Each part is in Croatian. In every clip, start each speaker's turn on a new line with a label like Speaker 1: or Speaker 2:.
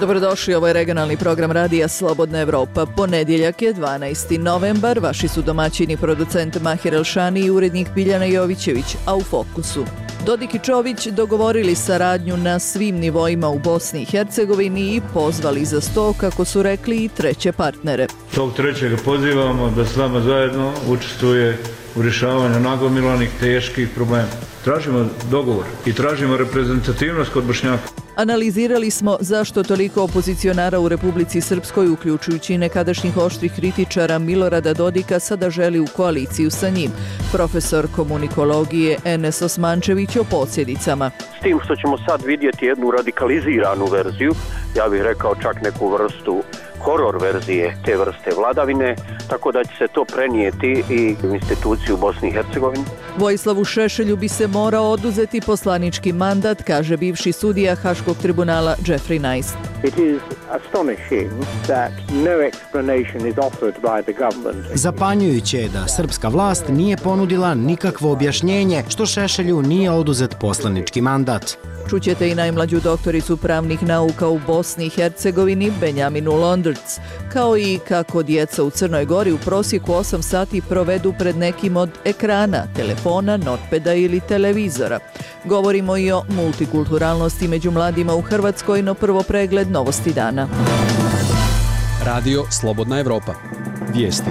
Speaker 1: Dobrodošli, ovo je regionalni program Radija Slobodna Evropa. Ponedjeljak je 12. novembar, vaši su domaćini producent Mahir Elšani i urednik Biljana Jovićević, a u fokusu. Dodik i Čović dogovorili saradnju na svim nivoima u Bosni i Hercegovini i pozvali za sto, kako su rekli, i treće partnere.
Speaker 2: Tog trećega pozivamo da s nama zajedno učestvuje u rješavanju nagomilanih teških problema. Tražimo dogovor i tražimo reprezentativnost kod Bošnjaka.
Speaker 1: Analizirali smo zašto toliko opozicionara u Republici Srpskoj, uključujući i nekadašnjih oštrih kritičara Milorada Dodika, sada želi u koaliciju sa njim. Profesor komunikologije Enes Osmančević o posljedicama.
Speaker 3: S tim što ćemo sad vidjeti jednu radikaliziranu verziju, ja bih rekao čak neku vrstu horor verzije te vrste vladavine, tako da će se to prenijeti i u instituciju Bosni i Hercegovini.
Speaker 1: Vojislavu Šešelju bi se morao oduzeti poslanički mandat, kaže bivši sudija Haškog tribunala Jeffrey Nice.
Speaker 4: It is astonishing that no explanation is offered by the government.
Speaker 5: Zapanjujuće je da srpska vlast nije ponudila nikakvo objašnjenje što Šešelju nije oduzet poslanički mandat.
Speaker 1: Čućete i najmlađu doktoricu pravnih nauka u Bosni i Hercegovini, Benjaminu Londrc, kao i kako djeca u Crnoj Gori u prosjeku 8 sati provedu pred nekim od ekrana, telefona, notpeda ili televizora. Govorimo i o multikulturalnosti među mladima u Hrvatskoj, no prvo pregled novosti dana.
Speaker 6: Radio Slobodna Evropa. Vijesti.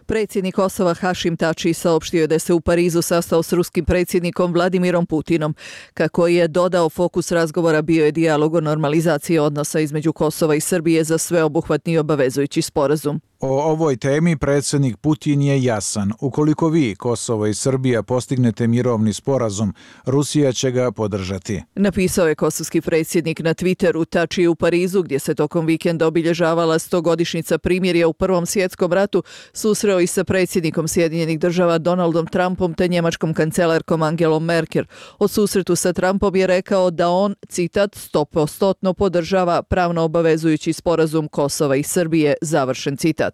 Speaker 1: Predsjednik Kosova Hašim Tači saopštio je da se u Parizu sastao s ruskim predsjednikom Vladimirom Putinom. Kako je dodao, fokus razgovora bio je dijalog o normalizaciji odnosa između Kosova i Srbije za sveobuhvatni i obavezujući sporazum.
Speaker 7: O ovoj temi predsjednik Putin je jasan. Ukoliko vi, Kosovo i Srbija, postignete mirovni sporazum, Rusija će ga podržati.
Speaker 1: Napisao je kosovski predsjednik na Twitteru. Tači je u Parizu, gdje se tokom vikenda obilježavala 100-godišnjica primirja u Prvom svjetskom ratu, susreo i sa predsjednikom Sjedinjenih država Donaldom Trumpom te njemačkom kancelarkom Angelom Merkel. O susretu sa Trumpom je rekao da on, citat, 100% podržava pravno obavezujući sporazum Kosova i Srbije, završen citat.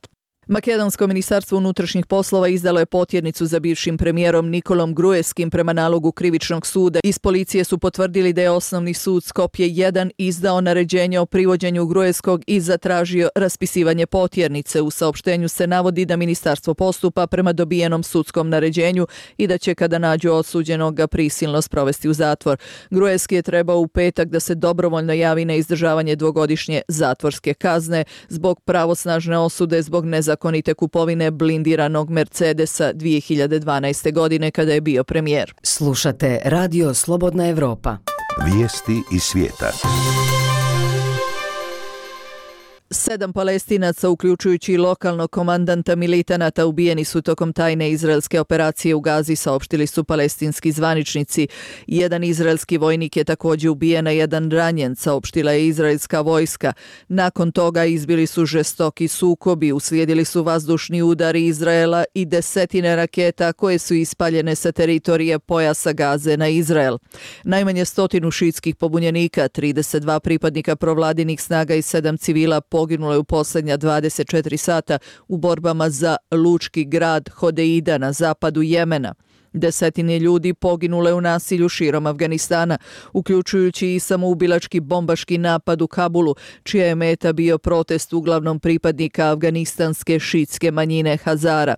Speaker 1: Makedonsko ministarstvo unutrašnjih poslova izdalo je potjernicu za bivšim premijerom Nikolom Gruevskim prema nalogu krivičnog suda. Iz policije su potvrdili da je osnovni sud Skopje 1 izdao naređenje o privođenju Gruevskog i zatražio raspisivanje potjernice. U saopštenju se navodi da ministarstvo postupa prema dobijenom sudskom naređenju i da će kada nađu osuđenog ga prisilno sprovesti u zatvor. Gruevski je trebao u petak da se dobrovoljno javi na izdržavanje 2-godišnje zatvorske kazne zbog pravosnažne osude zbog nezakonite kupovine blindiranog Mercedesa 2012. godine kada je bio premijer.
Speaker 8: Slušate Radio Slobodna Evropa.
Speaker 9: Vijesti iz svijeta.
Speaker 1: 7 Palestinaca, uključujući i lokalnog komandanta militanata, ubijeni su tokom tajne izraelske operacije u Gazi, saopštili su palestinski zvaničnici. Jedan izraelski vojnik je također ubijen, a jedan ranjen, saopštila je izraelska vojska. Nakon toga izbili su žestoki sukobi, uslijedili su vazdušni udari Izraela i desetine raketa koje su ispaljene sa teritorije pojasa Gaze na Izrael. Najmanje 100 šiitskih pobunjenika, 32 pripadnika provladinih snaga i 7 civila poginulo je u posljednja 24 sata u borbama za lučki grad Hodeida na zapadu Jemena. Desetine ljudi poginule u nasilju širom Afganistana, uključujući i samoubilački bombaški napad u Kabulu, čija je meta bio protest uglavnom pripadnika afganistanske šiitske manjine Hazara.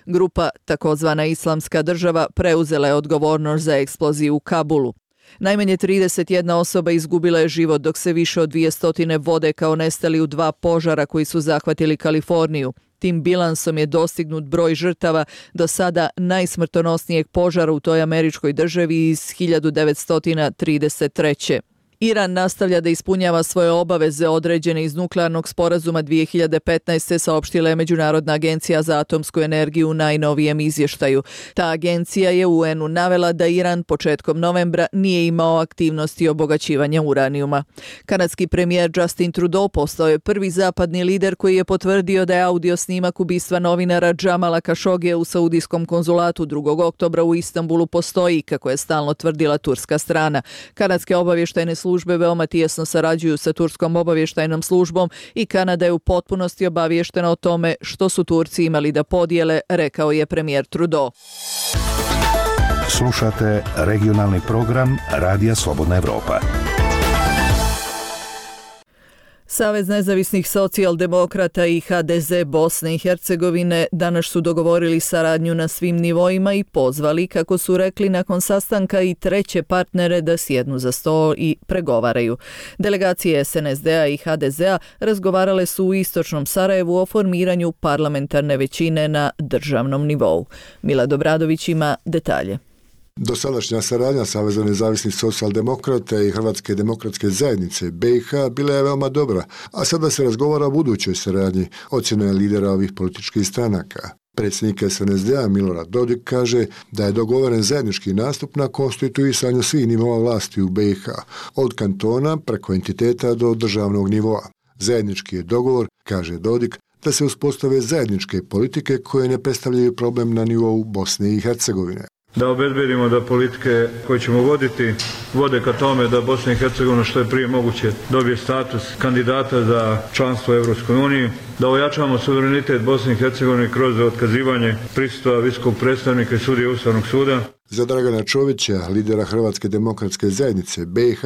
Speaker 1: Grupa, takozvana Islamska država, preuzela je odgovornost za eksploziju u Kabulu. Najmanje 31 osoba izgubila je život, dok se više od 200 vode kao nestali u 2 požara koji su zahvatili Kaliforniju. Tim bilansom je dostignut broj žrtava do sada najsmrtonosnijeg požara u toj američkoj državi iz 1933. Iran nastavlja da ispunjava svoje obaveze određene iz nuklearnog sporazuma 2015. saopštila je Međunarodna agencija za atomsku energiju u najnovijem izvještaju. Ta agencija je UN-u navela da Iran početkom novembra nije imao aktivnosti obogaćivanja uranijuma. Kanadski premijer Justin Trudeau postao je prvi zapadni lider koji je potvrdio da je audio snimak ubistva novinara Džamala Kašogija u saudijskom konzulatu 2. oktobra u Istanbulu postoji, kako je stalno tvrdila turska strana. Kanadske obavještajne službe službe veoma tijesno sarađuju sa turskom obavještajnom službom i Kanada je u potpunosti obaviještena o tome što su Turci imali da podijele, rekao je premijer Trudeau.
Speaker 9: Slušate regionalni program Radija Slobodna Evropa.
Speaker 1: Savez nezavisnih socijaldemokrata i HDZ Bosne i Hercegovine danas su dogovorili saradnju na svim nivoima i pozvali, kako su rekli nakon sastanka, i treće partnere da sjednu za sto i pregovaraju. Delegacije SNSD-a i HDZ-a razgovarale su u istočnom Sarajevu o formiranju parlamentarne većine na državnom nivou. Milad Obradović ima detalje.
Speaker 10: Dosadašnja saradnja Saveza nezavisnih socijaldemokrata i Hrvatske demokratske zajednice BiH bila je veoma dobra, a sada se razgovara o budućoj saradnji, ocjena je lidera ovih političkih stranaka. Predsjednik SNSD-a Milorad Dodik kaže da je dogovoren zajednički nastup na konstituisanju svih nivoa vlasti u BiH, od kantona preko entiteta do državnog nivoa. Zajednički je dogovor, kaže Dodik, da se uspostave zajedničke politike koje ne predstavljaju problem na nivou Bosne i Hercegovine.
Speaker 2: Da obezbedimo da politike koje ćemo voditi vode ka tome da Bosna i Hercegovina što je prije moguće dobije status kandidata za članstvo u Europskoj uniji, da ojačamo suverenitet Bosne i Hercegovine kroz otkazivanje prisustva visokog predstavnika i sudije Ustavnog suda.
Speaker 10: Za Dragana Čovića, lidera Hrvatske demokratske zajednice BiH,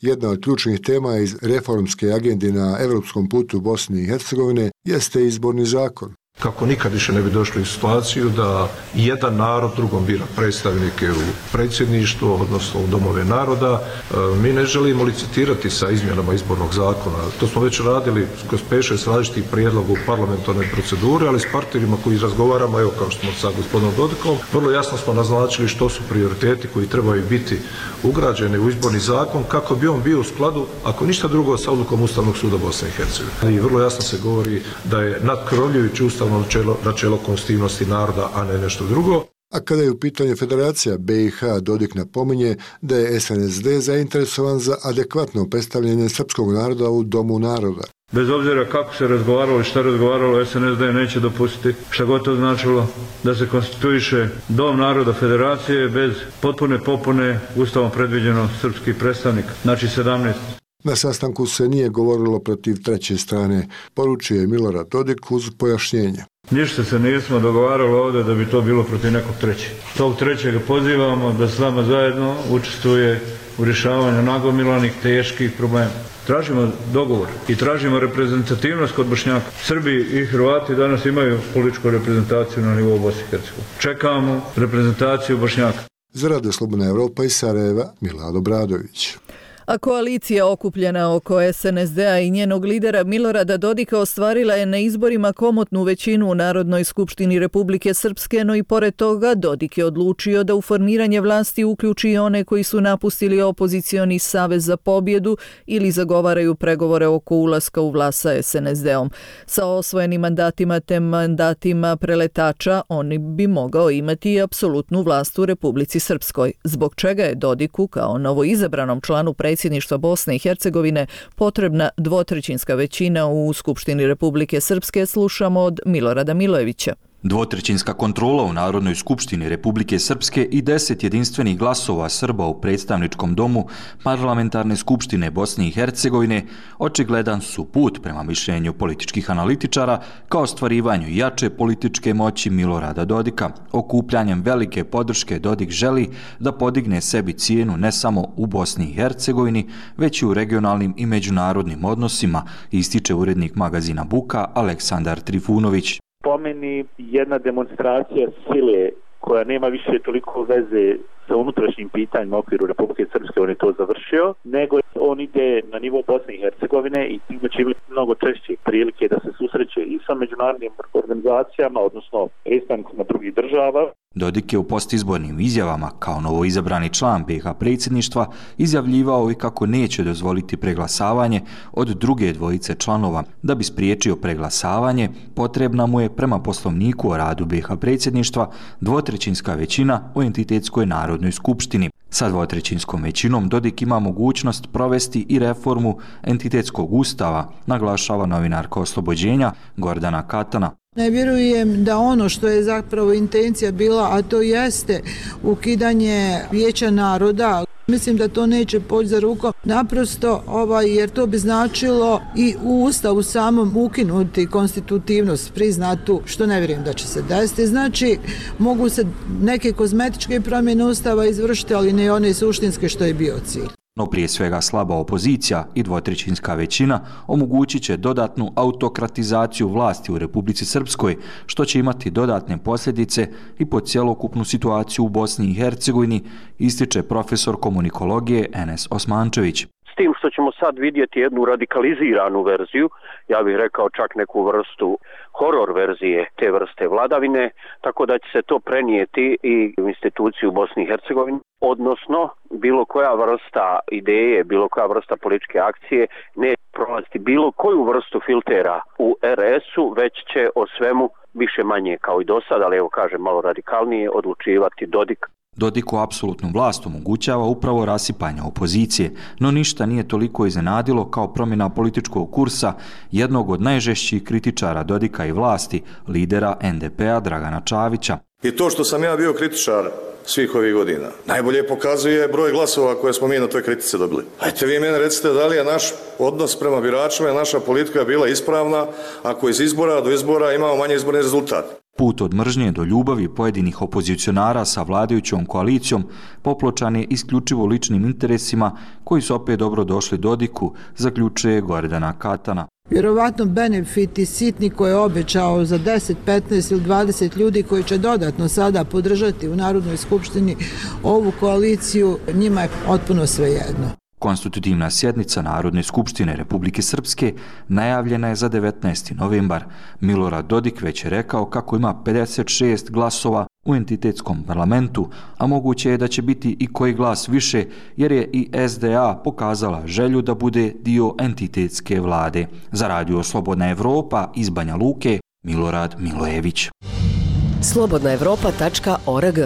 Speaker 10: jedna od ključnih tema iz reformske agende na europskom putu Bosne i Hercegovine jeste izborni zakon.
Speaker 11: Kako nikad više ne bi došli u situaciju da jedan narod drugom bira predstavnike u predsjedništvo, odnosno u domove naroda. Mi ne želimo licitirati sa izmjenama izbornog zakona. To smo već radili kroz 5-6 različitih prijedloga u parlamentarnoj proceduri, ali s partnerima koji razgovaramo, evo kao što smo sa gospodinom Dodikom, vrlo jasno smo naznačili što su prioriteti koji trebaju biti ugrađeni u izborni zakon kako bi on bio u skladu, ako ništa drugo, sa odlukom Ustavnog suda Bosne i Hercegovine. I vrlo jasno se govori da je nadkrovljujući ustavno načelo konstitutivnosti naroda, a ne nešto drugo.
Speaker 10: A kada je u pitanju Federacija BiH, Dodik napominje da je SNSD zainteresovan za adekvatno predstavljanje srpskog naroda u Domu naroda.
Speaker 2: Bez obzira kako se razgovaralo i šta razgovaralo, SNSD neće dopustiti, šta god to značilo, da se konstituiše Dom naroda Federacije bez potpune popune Ustavom predviđeno srpskih predstavnika, znači 17.
Speaker 10: Na sastanku se nije govorilo protiv treće strane, poručuje Milorad Dodik uz pojašnjenje.
Speaker 2: Ništa se nismo dogovarali ovdje da bi to bilo protiv nekog trećeg. Tog trećega pozivamo da s nama zajedno učestvuje u rješavanju nagomilanih teških problema. Tražimo dogovor i tražimo reprezentativnost kod Bošnjaka. Srbi i Hrvati danas imaju političku reprezentaciju na nivou Bosne i Hercegovine. Čekamo reprezentaciju Bošnjaka.
Speaker 10: Za Radio Slobodna Evropa iz Sarajeva, Milad Obradović.
Speaker 1: A koalicija okupljena oko SNSD-a i njenog lidera Milorada Dodika ostvarila je na izborima komotnu većinu u Narodnoj skupštini Republike Srpske, no i pored toga Dodik je odlučio da u formiranje vlasti uključi i one koji su napustili opozicioni Savez za pobjedu ili zagovaraju pregovore oko ulaska u vlast sa SNSD-om. Sa osvojenim mandatima te mandatima preletača oni bi mogao imati i apsolutnu vlast u Republici Srpskoj, zbog čega je Dodiku kao novoizabranom članu predsjedništva Bosne i Hercegovine potrebna dvotrećinska većina u Skupštini Republike Srpske, slušamo od Milorada Milojevića.
Speaker 12: Dvotrećinska kontrola u Narodnoj skupštini Republike Srpske i 10 jedinstvenih glasova Srba u predstavničkom domu Parlamentarne skupštine Bosne i Hercegovine očigledan su put prema mišljenju političkih analitičara ka ostvarivanju jače političke moći Milorada Dodika. Okupljanjem velike podrške Dodik želi da podigne sebi cijenu ne samo u Bosni i Hercegovini, već i u regionalnim i međunarodnim odnosima, ističe urednik magazina Buka Aleksandar Trifunović.
Speaker 13: Po meni jedna demonstracija sile koja nema više toliko veze sa unutrašnjim pitanjima u okviru Republike Srpske, on je to završio, nego on ide na nivo Bosne i Hercegovine i time će imati mnogo češće prilike da se susreće i sa međunarodnim organizacijama, odnosno predstavnicima drugih država.
Speaker 12: Dodik je u postizbornim izjavama kao novoizabrani član BiH predsjedništva izjavljivao i kako neće dozvoliti preglasavanje od druge dvojice članova. Da bi spriječio preglasavanje, potrebna mu je prema poslovniku o radu BiH predsjedništva dvotrećinska većina u entitetskoj Narodnoj skupštini. Sa dvotrećinskom većinom Dodik ima mogućnost provesti i reformu entitetskog ustava, naglašava novinarka Oslobođenja Gordana Katana.
Speaker 14: Ne vjerujem da ono što je zapravo intencija bila, a to jeste ukidanje Vijeća naroda, Mislim da to neće poći za rukom, naprosto jer to bi značilo i u Ustavu samom ukinuti konstitutivnost priznatu, što ne vjerujem da će se desiti. Znači, mogu se neke kozmetičke promjene Ustava izvršiti, ali ne one suštinske što je bio cilj.
Speaker 12: No prije svega slaba opozicija i dvotrećinska većina omogućit će dodatnu autokratizaciju vlasti u Republici Srpskoj, što će imati dodatne posljedice i po cjelokupnu situaciju u Bosni i Hercegovini, ističe profesor komunikologije Enes Osmančević.
Speaker 3: S tim što ćemo sad vidjeti jednu radikaliziranu verziju, ja bih rekao čak neku vrstu horor verzije te vrste vladavine, tako da će se to prenijeti i u instituciju Bosni i Hercegovini, odnosno bilo koja vrsta ideje, bilo koja vrsta političke akcije ne prolaziti bilo koju vrstu filtera u RS-u, već će o svemu više manje kao i do sada, ali evo kažem malo radikalnije, odlučivati Dodik.
Speaker 12: Dodiku apsolutnu vlast omogućava upravo rasipanje opozicije, no ništa nije toliko iznenadilo kao promjena političkog kursa jednog od najžešćih kritičara Dodika i vlasti, lidera NDP-a Dragana Čavića.
Speaker 15: I to što sam ja bio kritičar svih ovih godina najbolje pokazuje broj glasova koje smo mi na toj kritice dobili. Ajte vi mene recite da li je naš odnos prema biračima i naša politika bila ispravna ako iz izbora do izbora imamo manje izborni rezultat.
Speaker 12: Put od mržnje do ljubavi pojedinih opozicionara sa vladajućom koalicijom popločan je isključivo ličnim interesima koji su opet dobro došli Dodiku, zaključuje Gordana Katana.
Speaker 14: Vjerovatno benefiti sitni koje je obećao za 10, 15 ili 20 ljudi koji će dodatno sada podržati u Narodnoj skupštini ovu koaliciju, njima je potpuno svejedno.
Speaker 12: Konstitutivna sjednica Narodne skupštine Republike Srpske najavljena je za 19. novembar. Milorad Dodik već je rekao kako ima 56 glasova u entitetskom parlamentu, a moguće je da će biti i koji glas više, jer je i SDA pokazala želju da bude dio entitetske vlade. Za Radio Slobodna Evropa iz Banja Luke, Milorad Milojević.
Speaker 8: slobodnaevropa.org.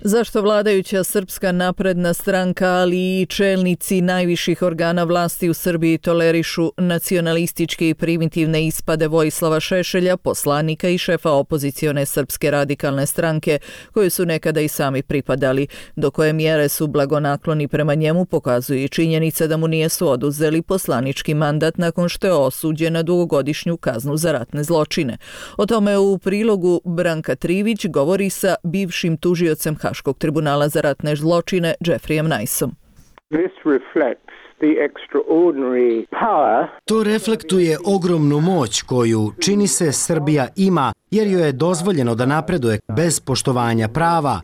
Speaker 1: Zašto vladajuća Srpska napredna stranka, ali i čelnici najviših organa vlasti u Srbiji tolerišu nacionalističke i primitivne ispade Vojislava Šešelja, poslanika i šefa opozicione Srpske radikalne stranke, koje su nekada i sami pripadali? Do koje mjere su blagonakloni prema njemu pokazuje i činjenica da mu nijesu oduzeli poslanički mandat nakon što je osuđen na dugogodišnju kaznu za ratne zločine. O tome u prilogu Branka Trivić govori sa bivšim tužiocem Haškog tribunala za ratne zločine Jeffreyem Niceom.
Speaker 5: To reflektuje ogromnu moć koju, čini se, Srbija ima, jer joj je dozvoljeno da napreduje bez poštovanja prava.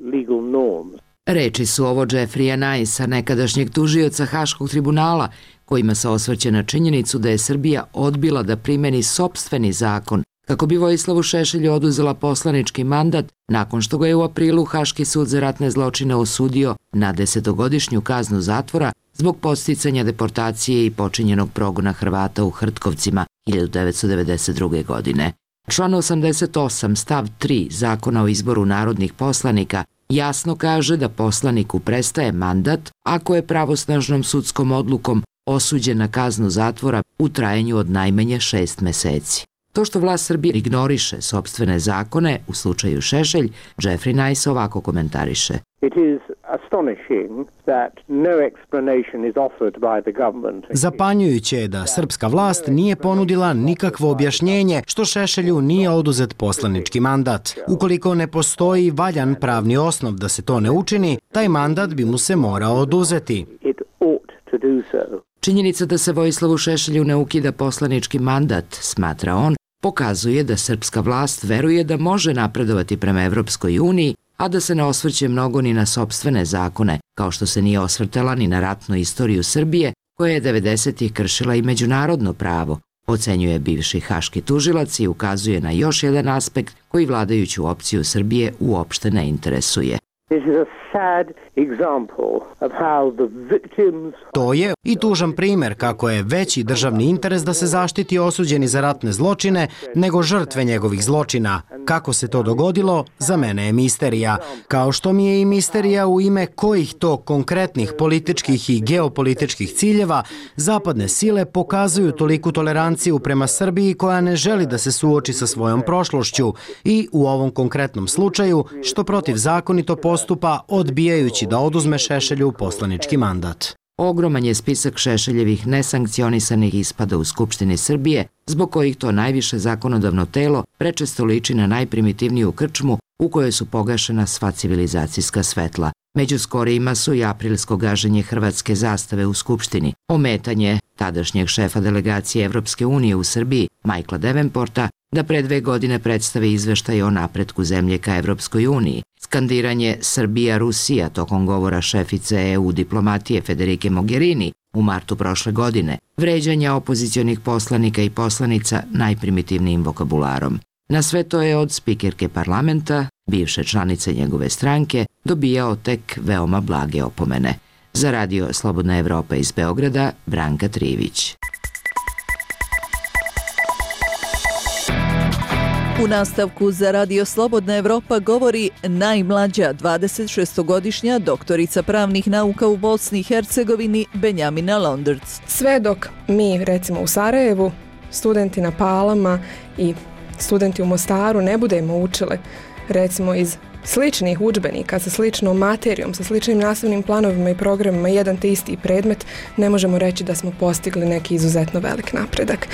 Speaker 16: Reči su ovo Jeffreya Nicea, nekadašnjeg tužioca Haškog tribunala, kojima se osvrće na činjenicu da je Srbija odbila da primeni sopstveni zakon kako bi Vojislavu Šešelju oduzela poslanički mandat nakon što ga je u aprilu Haški sud za ratne zločine osudio na 10-godišnju kaznu zatvora zbog podsticanja deportacije i počinjenog progona Hrvata u Hrtkovcima 1992. godine. Član 88 stav 3 Zakona o izboru narodnih poslanika jasno kaže da poslaniku prestaje mandat ako je pravosnažnom sudskom odlukom osuđen na kaznu zatvora u trajanju od najmanje 6 meseci. To što vlast Srbije ignoriše sopstvene zakone, u slučaju Šešelj, Jeffrey Nice ovako komentariše.
Speaker 5: Zapanjujuće je da srpska vlast nije ponudila nikakvo objašnjenje što Šešelju nije oduzet poslanički mandat. Ukoliko ne postoji valjan pravni osnov da se to ne učini, taj mandat bi mu se morao oduzeti.
Speaker 16: Činjenica da se Vojislavu Šešelju ne ukida poslanički mandat, smatra on, pokazuje da srpska vlast veruje da može napredovati prema Evropskoj uniji, a da se ne osvrće mnogo ni na sopstvene zakone, kao što se nije osvrtala ni na ratnu istoriju Srbije, koja je 90-ih kršila i međunarodno pravo, ocenjuje bivši haški tužilac i ukazuje na još jedan aspekt koji vladajuću opciju Srbije uopšte ne interesuje.
Speaker 5: To je i tužan primjer kako je veći državni interes da se zaštiti osuđeni za ratne zločine nego žrtve njegovih zločina. Kako se to dogodilo, za mene je misterija. Kao što mi je i misterija u ime kojih to konkretnih političkih i geopolitičkih ciljeva zapadne sile pokazuju toliku toleranciju prema Srbiji koja ne želi da se suoči sa svojom prošlošću i u ovom konkretnom slučaju što protivzakonito postupa odbijajući da oduzme Šešelju poslanički mandat.
Speaker 16: Ogroman je spisak Šešeljevih nesankcionisanih ispada u Skupštini Srbije, zbog kojih to najviše zakonodavno telo prečesto liči na najprimitivniju krčmu u kojoj su pogašena sva civilizacijska svetla. Među skorijima su i aprilsko gaženje hrvatske zastave u Skupštini, ometanje tadašnjeg šefa delegacije Evropske unije u Srbiji, Michaela Davenporta, da pre 2 godine predstavi izveštaj o napretku zemlje ka Evropskoj uniji, skandiranje Srbija-Rusija tokom govora šefice EU diplomatije Federike Mogherini u martu prošle godine, vređanja opozicionih poslanika i poslanica najprimitivnijim vokabularom. Na sve to je od spikerke parlamenta, bivše članice njegove stranke, dobijao tek veoma blage opomene. Za Radio Slobodna Evropa iz Beograda, Branka Trivić.
Speaker 1: U nastavku za Radio Slobodna Evropa govori najmlađa 26-godišnja doktorica pravnih nauka u Bosni i Hercegovini Benjamina Londerc.
Speaker 17: Sve dok mi, recimo u Sarajevu, studenti na Palama i studenti u Mostaru ne budemo učili, recimo iz sličnih udžbenika, sa sličnom materijom, sa sličnim nastavnim planovima i programima, jedan te isti predmet, ne možemo reći da smo postigli neki izuzetno velik napredak.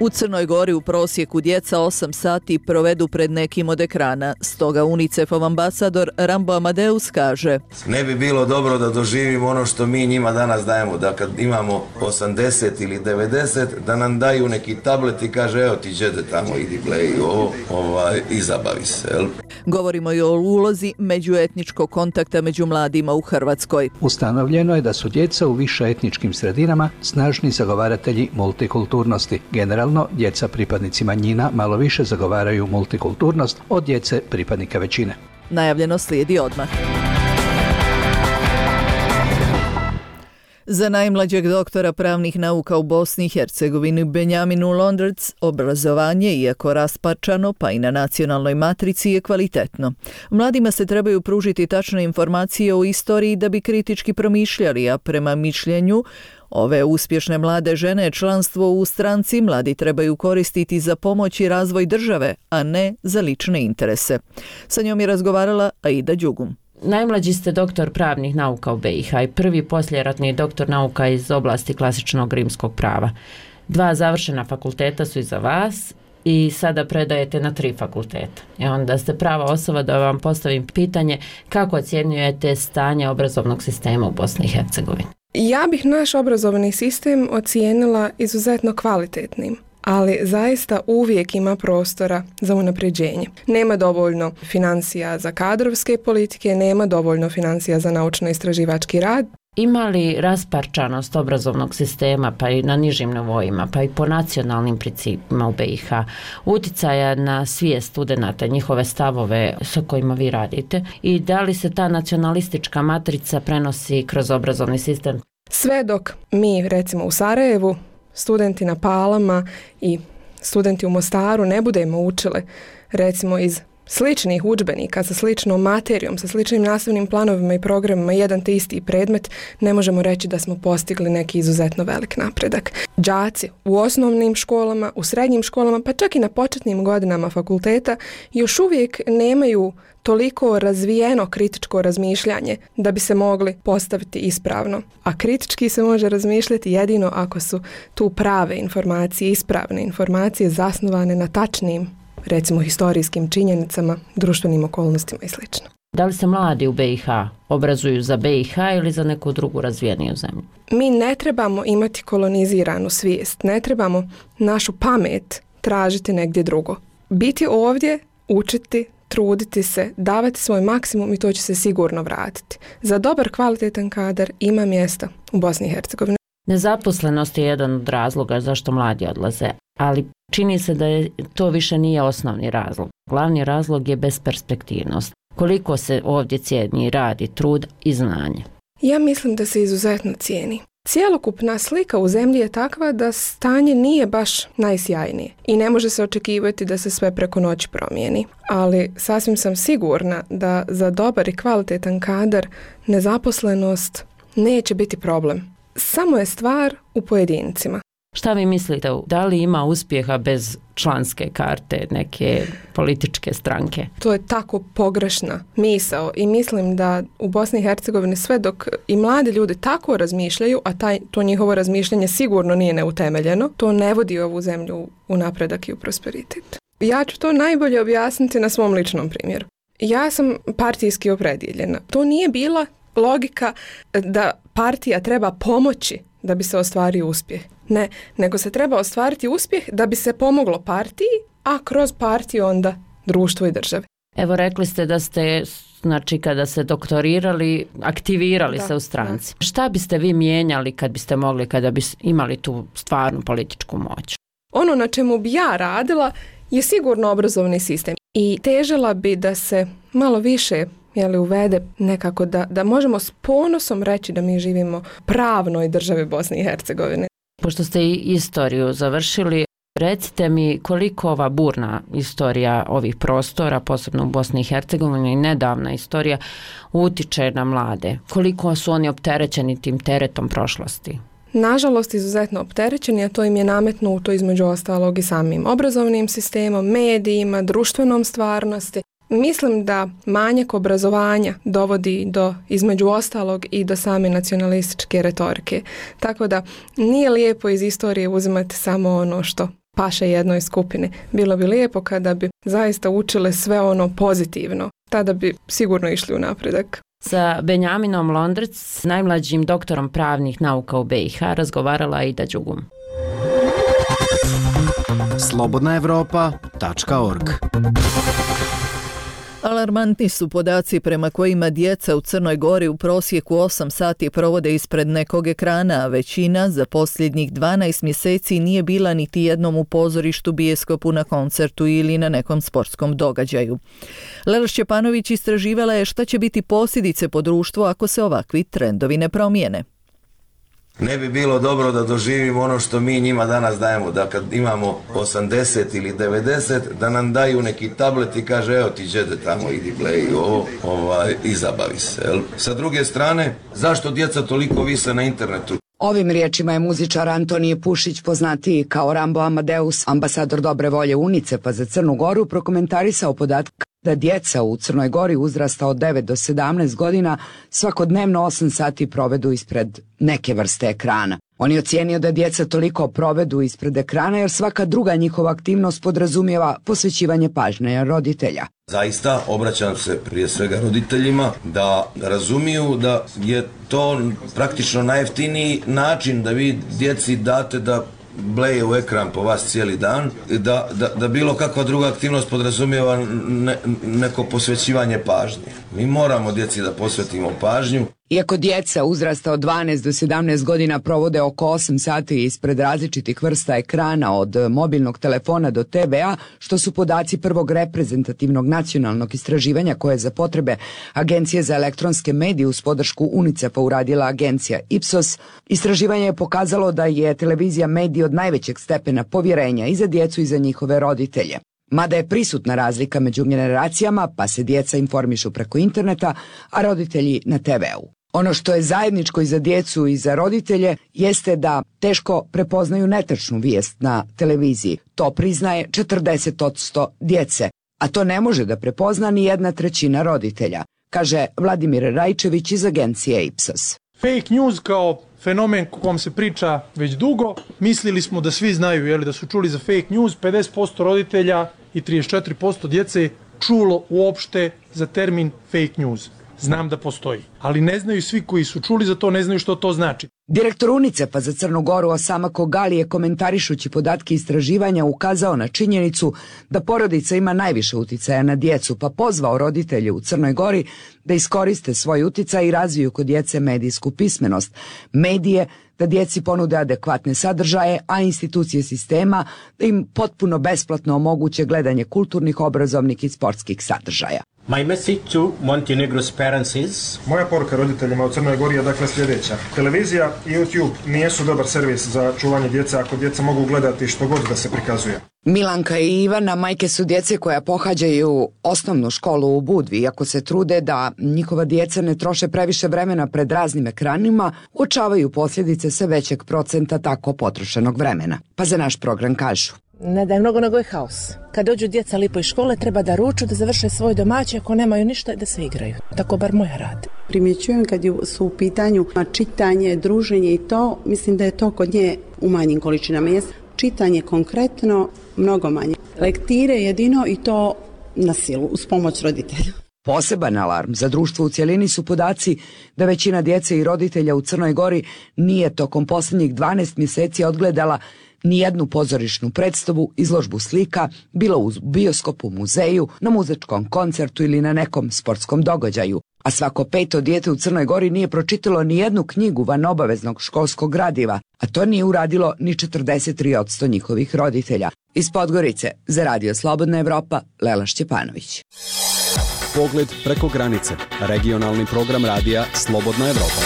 Speaker 1: U Crnoj Gori u prosjeku djeca 8 sati provedu pred nekim od ekrana. Stoga UNICEF-ov ambasador Rambo Amadeus kaže:
Speaker 18: ne bi bilo dobro da doživimo ono što mi njima danas dajemo, da kad imamo 80 ili 90, da nam daju neki tablet i kaže evo ti đede tamo, idi gledaj ovo, i zabavi se. Jel?
Speaker 1: Govorimo i o ulozi međuetničkog kontakta među mladima u Hrvatskoj.
Speaker 19: Ustanovljeno je da su djeca u više etničkim sredinama snažni zagovaratelji multikulturnosti. Generalno, djeca pripadnici manjina malo više zagovaraju multikulturnost od djece pripadnika većine.
Speaker 1: Najavljeno slijedi odmah. Za najmlađeg doktora pravnih nauka u Bosni i Hercegovini Benjaminu Londerc obrazovanje, iako rasparčano pa i na nacionalnoj matrici, je kvalitetno. Mladima se trebaju pružiti tačne informacije o istoriji da bi kritički promišljali, a prema mišljenju ove uspješne mlade žene članstvo u stranci mladi trebaju koristiti za pomoć i razvoj države, a ne za lične interese. Sa njom je razgovarala Aida Đugum.
Speaker 20: Najmlađi ste doktor pravnih nauka u BiH i prvi poslijeratni doktor nauka iz oblasti klasičnog rimskog prava. 2 završena fakulteta su iza vas i sada predajete na 3 fakulteta. I onda ste prava osoba da vam postavim pitanje kako ocjenjujete stanje obrazovnog sistema u Bosni i Hercegovini.
Speaker 17: Ja bih naš obrazovni sistem ocijenila izuzetno kvalitetnim, ali zaista uvijek ima prostora za unapređenje. Nema dovoljno financija za kadrovske politike, nema dovoljno financija za naučno-istraživački rad.
Speaker 20: Ima li rasparčanost obrazovnog sistema, pa i na nižim nivoima, pa i po nacionalnim principima u BiH, uticaja na svijest studenata, njihove stavove sa kojima vi radite, i da li se ta nacionalistička matrica prenosi kroz obrazovni sistem?
Speaker 17: Sve dok mi, recimo u Sarajevu, studenti na Palama i studenti u Mostaru ne budemo učili, recimo iz sličnih udžbenika, sa sličnom materijom, sa sličnim nastavnim planovima i programima, jedan te isti predmet, ne možemo reći da smo postigli neki izuzetno velik napredak. Đaci u osnovnim školama, u srednjim školama, pa čak i na početnim godinama fakulteta još uvijek nemaju toliko razvijeno kritičko razmišljanje da bi se mogli postaviti ispravno. A kritički se može razmišljati jedino ako su tu prave informacije, ispravne informacije zasnovane na tačnim, recimo historijskim činjenicama, društvenim okolnostima i sl.
Speaker 20: Da li se mladi u BiH obrazuju za BiH ili za neku drugu razvijeniju zemlju?
Speaker 17: Mi ne trebamo imati koloniziranu svijest, ne trebamo našu pamet tražiti negdje drugo. Biti ovdje, učiti, truditi se, davati svoj maksimum i to će se sigurno vratiti. Za dobar, kvalitetan kadar ima mjesta u Bosni i Hercegovini.
Speaker 20: Nezaposlenost je jedan od razloga zašto mladi odlaze, ali čini se da to više nije osnovni razlog. Glavni razlog je besperspektivnost. Koliko se ovdje cijeni rad i trud i znanje?
Speaker 17: Ja mislim da se izuzetno cijeni. Cjelokupna slika u zemlji je takva da stanje nije baš najsjajnije i ne može se očekivati da se sve preko noći promijeni. Ali sasvim sam sigurna da za dobar i kvalitetan kadar nezaposlenost neće biti problem. Samo je stvar u pojedincima.
Speaker 20: Šta vi mislite, da li ima uspjeha bez članske karte neke političke stranke?
Speaker 17: To je tako pogrešna misao i mislim da u Bosni i Hercegovini sve dok i mladi ljudi tako razmišljaju, a to njihovo razmišljanje sigurno nije neutemeljeno, to ne vodi ovu zemlju u napredak i u prosperitet. Ja ću to najbolje objasniti na svom ličnom primjeru. Ja sam partijski opredjeljena. To nije bila logika da partija treba pomoći da bi se ostvario uspjeh. Ne, nego se treba ostvariti uspjeh da bi se pomoglo partiji, a kroz partiju onda društvu i državi.
Speaker 20: Evo, rekli ste da ste, znači, kada se doktorirali, aktivirali se u stranci. Da. Šta biste vi mijenjali kad biste mogli, kada bi imali tu stvarnu političku moć?
Speaker 17: Ono na čemu bi ja radila je sigurno obrazovni sistem. I težila bi da se malo više uvede nekako da možemo s ponosom reći da mi živimo u pravnoj državi Bosne i Hercegovine.
Speaker 20: Pošto ste i istoriju završili, recite mi koliko ova burna istorija ovih prostora, posebno u Bosni i Hercegovini, nedavna istorija, utiče na mlade. Koliko su oni opterećeni tim teretom prošlosti?
Speaker 17: Nažalost, izuzetno opterećeni, a to im je nametnuto između ostalog i samim obrazovnim sistemom, medijima, društvenom stvarnosti. Mislim da manjak obrazovanja dovodi do, između ostalog, i do same nacionalističke retorike. Tako da nije lijepo iz istorije uzimati samo ono što paše jednoj skupini. Bilo bi lijepo kada bi zaista učile sve ono pozitivno. Tada bi sigurno išli u napredak.
Speaker 20: Sa Benjaminom Londrec, najmlađim doktorom pravnih nauka u BiH, razgovarala Aida Đugum.
Speaker 5: slobodnaevropa.org.
Speaker 1: Alarmantni su podaci prema kojima djeca u Crnoj Gori u prosjeku 8 sati provode ispred nekog ekrana, a većina za posljednjih 12 mjeseci nije bila niti jednom u pozorištu, bijeskopu, na koncertu ili na nekom sportskom događaju. Lela Šćepanović istraživala je šta će biti posljedice po društvu ako se ovakvi trendovi ne promijene.
Speaker 18: Ne bi bilo dobro da doživimo ono što mi njima danas dajemo, da kad imamo 80 ili 90, da nam daju neki tablet i kaže evo ti džede tamo, idi play ovo, i zabavi se. Jel? Sa druge strane, zašto djeca toliko vise na internetu?
Speaker 21: Ovim riječima je muzičar Antonije Pušić, poznatiji kao Rambo Amadeus, ambasador dobre volje UNICEF-a za Crnu Goru, prokomentarisao podatak da djeca u Crnoj Gori uzrasta od 9 do 17 godina svakodnevno 8 sati provedu ispred neke vrste ekrana. On je ocijenio da djeca toliko provedu ispred ekrana jer svaka druga njihova aktivnost podrazumijeva posvećivanje pažnje roditelja.
Speaker 18: Zaista obraćam se prije svega roditeljima da razumiju da je to praktično najjeftiniji način da vi djeci date da bleje u ekran po vas cijeli dan, da bilo kakva druga aktivnost podrazumijeva neko posvećivanje pažnje. Mi moramo djeci da posvetimo pažnju.
Speaker 21: Iako djeca uzrasta od 12 do 17 godina provode oko 8 sati ispred različitih vrsta ekrana od mobilnog telefona do TV-a, što su podaci prvog reprezentativnog nacionalnog istraživanja koje za potrebe Agencije za elektronske medije uz podršku UNICEF-a uradila agencija Ipsos, istraživanje je pokazalo da je televizija medij od najvećeg stepena povjerenja i za djecu i za njihove roditelje. Mada je prisutna razlika među generacijama, pa se djeca informišu preko interneta, a roditelji na TV-u. Ono što je zajedničko i za djecu i za roditelje jeste da teško prepoznaju netačnu vijest na televiziji. To priznaje 40% djece, a to ne može da prepozna ni 1/3 roditelja, kaže Vladimir Rajčević iz agencije Ipsos.
Speaker 22: Fake news kao fenomen o kom se priča već dugo, mislili smo da svi znaju, da su čuli za fake news, 50% roditelja i 34% djece čulo uopšte za termin fake news. Znam da postoji, ali ne znaju svi koji su čuli za to, ne znaju što to znači.
Speaker 21: Direktor UNICEF-a za Crnu Goru Osama Kogali je komentarišući podatke istraživanja ukazao na činjenicu da porodica ima najviše uticaja na djecu, pa pozvao roditelje u Crnoj Gori da iskoriste svoj uticaj i razviju kod djece medijsku pismenost, medije, da djeci ponude adekvatne sadržaje, a institucije sistema da im potpuno besplatno omoguće gledanje kulturnih, obrazovnih i sportskih sadržaja.
Speaker 4: My message to Montenegro's parents is...
Speaker 6: Moja poruka roditeljima u Crnoj Gori je dakle sljedeća. Televizija i YouTube nijesu dobar servis za čuvanje djece ako djeca mogu gledati što god da se prikazuje.
Speaker 21: Milanka i Ivana majke su djece koja pohađaju osnovnu školu u Budvi. Iako se trude da njihova djeca ne troše previše vremena pred raznim ekranima, uočavaju posljedice sve većeg procenta tako potrošenog vremena. Pa za naš program kažu:
Speaker 23: ne da je mnogo, nego je haos. Kad dođu djeca lipo iz škole, treba da ruču, da završe svoj domaći, ako nemaju ništa, da se igraju. Tako bar moja radi.
Speaker 24: Primjećujem kad su u pitanju čitanje, druženje i to, mislim da je to kod nje u manjim količinama. Čitanje konkretno mnogo manje. Lektire jedino i to na silu, uz pomoć roditelja.
Speaker 21: Poseban alarm za društvo u cjelini su podaci da većina djece i roditelja u Crnoj Gori nije tokom posljednjih 12 mjeseci odgledala nijednu pozorišnu predstavu, izložbu slika, bilo u bioskopu, muzeju, na muzičkom koncertu ili na nekom sportskom događaju. A svako 5. dijete u Crnoj Gori nije pročitalo nijednu knjigu van obaveznog školskog gradiva, a to nije uradilo ni 43% njihovih roditelja. Iz Podgorice, za Radio Slobodna Evropa, Lela Šćepanović.
Speaker 25: Pogled preko granice. Regionalni program radija Slobodna Evropa.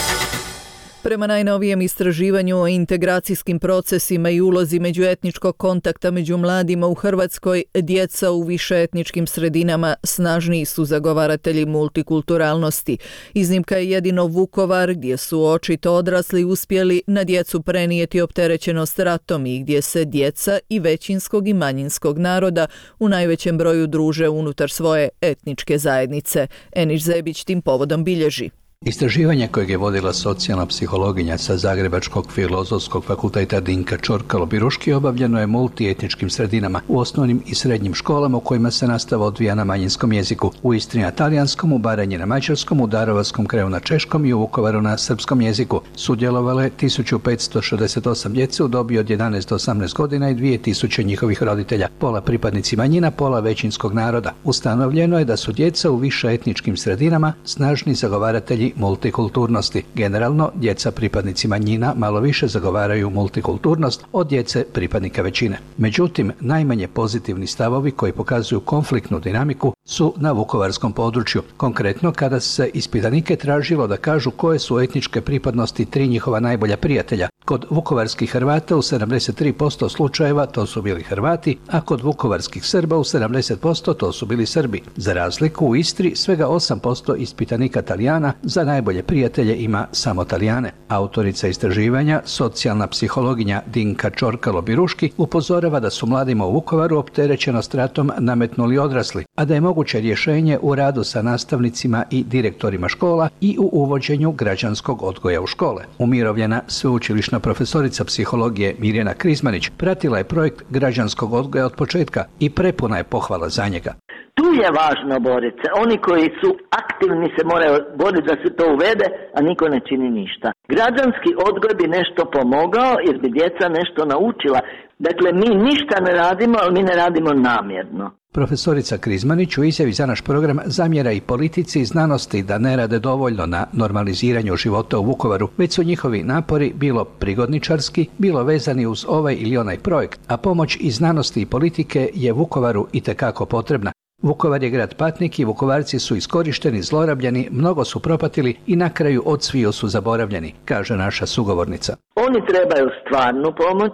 Speaker 1: Prema najnovijem istraživanju o integracijskim procesima i ulozi međuetničkog kontakta među mladima u Hrvatskoj, djeca u višeetničkim sredinama snažniji su zagovaratelji multikulturalnosti. Iznimka je jedino Vukovar, gdje su očito odrasli uspjeli na djecu prenijeti opterećenost ratom i gdje se djeca i većinskog i manjinskog naroda u najvećem broju druže unutar svoje etničke zajednice. Eniš Zebić tim povodom bilježi:
Speaker 19: istraživanje kojeg je vodila socijalna psihologinja sa Zagrebačkog filozofskog fakulteta Dinka Čorkalo-Biruški obavljeno je multietničkim sredinama u osnovnim i srednjim školama u kojima se nastava odvija na manjinskom jeziku. U Istri na talijanskom, u Baranji na mađarskom, u Darovarskom kraju na češkom i u Vukovaru na srpskom jeziku. Sudjelovale 1568 djece u dobi od 11 do 18 godina i 2000 njihovih roditelja, pola pripadnici manjina, pola većinskog naroda. Ustanovljeno je da su djeca u višeetničkim sredinama snažni zagovaratelji multikulturnosti. Generalno, djeca pripadnici manjina malo više zagovaraju multikulturnost od djece pripadnika većine. Međutim, najmanje pozitivni stavovi koji pokazuju konfliktnu dinamiku su na vukovarskom području. Konkretno, kada se ispitanike tražilo da kažu koje su etničke pripadnosti 3 njihova najbolja prijatelja. Kod vukovarskih Hrvata u 73% slučajeva to su bili Hrvati, a kod vukovarskih Srba u 70% to su bili Srbi. Za razliku, u Istri svega 8% ispitanika Talijana za najbolje prijatelje ima samo Talijane. Autorica istraživanja, socijalna psihologinja Dinka Čorkalo-Biruški, upozorava da su mladima u Vukovaru opterećenost ratom nametnuli odrasli, a da je moguće rješenje u radu sa nastavnicima i direktorima škola i u uvođenju građanskog odgoja u škole. Umirovljena sveučilišna profesorica psihologije Mirjana Krizmanić pratila je projekt građanskog odgoja od početka i prepuna je pohvala za njega.
Speaker 26: Tu je važno boriti se. Oni koji su aktivni se moraju boriti da se to uvede, a niko ne čini ništa. Građanski odgoj bi nešto pomogao jer bi djeca nešto naučila. Dakle, mi ništa ne radimo, ali mi ne radimo namjerno.
Speaker 19: Profesorica Krizmanić u izjavi za naš program zamjera i politici i znanosti da ne rade dovoljno na normaliziranju života u Vukovaru, već su njihovi napori bilo prigodničarski, bilo vezani uz ovaj ili onaj projekt, a pomoć i znanosti i politike je Vukovaru itekako potrebna. Vukovar je grad patnik i Vukovarci su iskorišteni, zlorabljeni, mnogo su propatili i na kraju odsvio su zaboravljeni, kaže naša sugovornica.
Speaker 26: Oni trebaju stvarnu pomoć,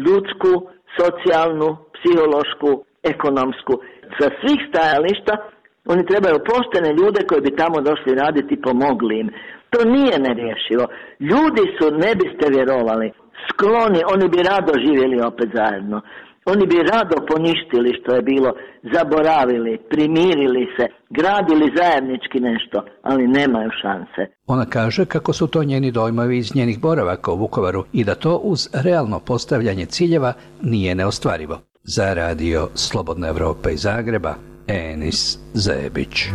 Speaker 26: ljudsku, socijalnu, psihološku, ekonomsku. Sa svih stajališta oni trebaju poštene ljude koji bi tamo došli raditi i pomogli im. To nije nerješivo. Ljudi su, ne biste vjerovali, skloni, oni bi rado živjeli opet zajedno. Oni bi rado poništili što je bilo, zaboravili, primirili se, gradili zajednički nešto, ali nemaju šanse.
Speaker 19: Ona kaže kako su to njeni dojmovi iz njenih boravaka u Vukovaru i da to uz realno postavljanje ciljeva nije neostvarivo. Za Radio Slobodna Evropa iz Zagreba, Enis Zebić.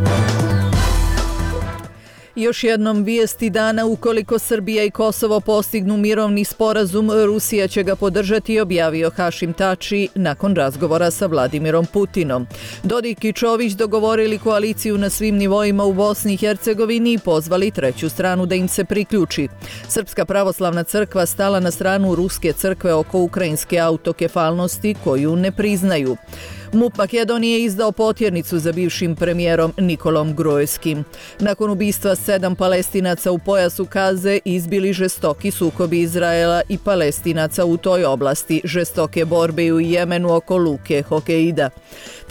Speaker 1: Još jednom vijesti dana: ukoliko Srbija i Kosovo postignu mirovni sporazum, Rusija će ga podržati, objavio Hašim Tači nakon razgovora sa Vladimirom Putinom. Dodik i Čović dogovorili koaliciju na svim nivoima u Bosni i Hercegovini i pozvali treću stranu da im se priključi. Srpska pravoslavna crkva stala na stranu ruske crkve oko ukrajinske autokefalnosti koju ne priznaju. MUP Makedonije je izdao potjernicu za bivšim premijerom Nikolom Gruevskim. Nakon ubistva 7 Palestinaca u pojasu Gaze izbili žestoki sukobi Izraela i Palestinaca u toj oblasti, žestoke borbe i u Jemenu oko luke Hokeida.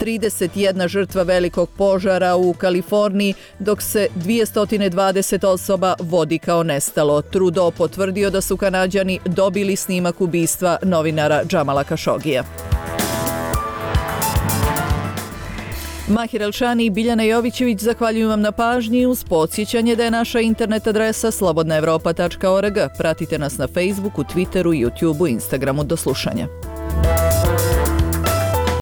Speaker 1: 31 žrtva velikog požara u Kaliforniji, dok se 220 osoba vodi kao nestalo. Trudeau potvrdio da su Kanađani dobili snimak ubistva novinara Džamala Kašogija. Mahir Elšani i Biljana Jovićević zahvaljujem vam na pažnji uz podsjećanje da je naša internet adresa slobodnaevropa.org. Pratite nas na Facebooku, Twitteru, YouTubeu, Instagramu. Do slušanja.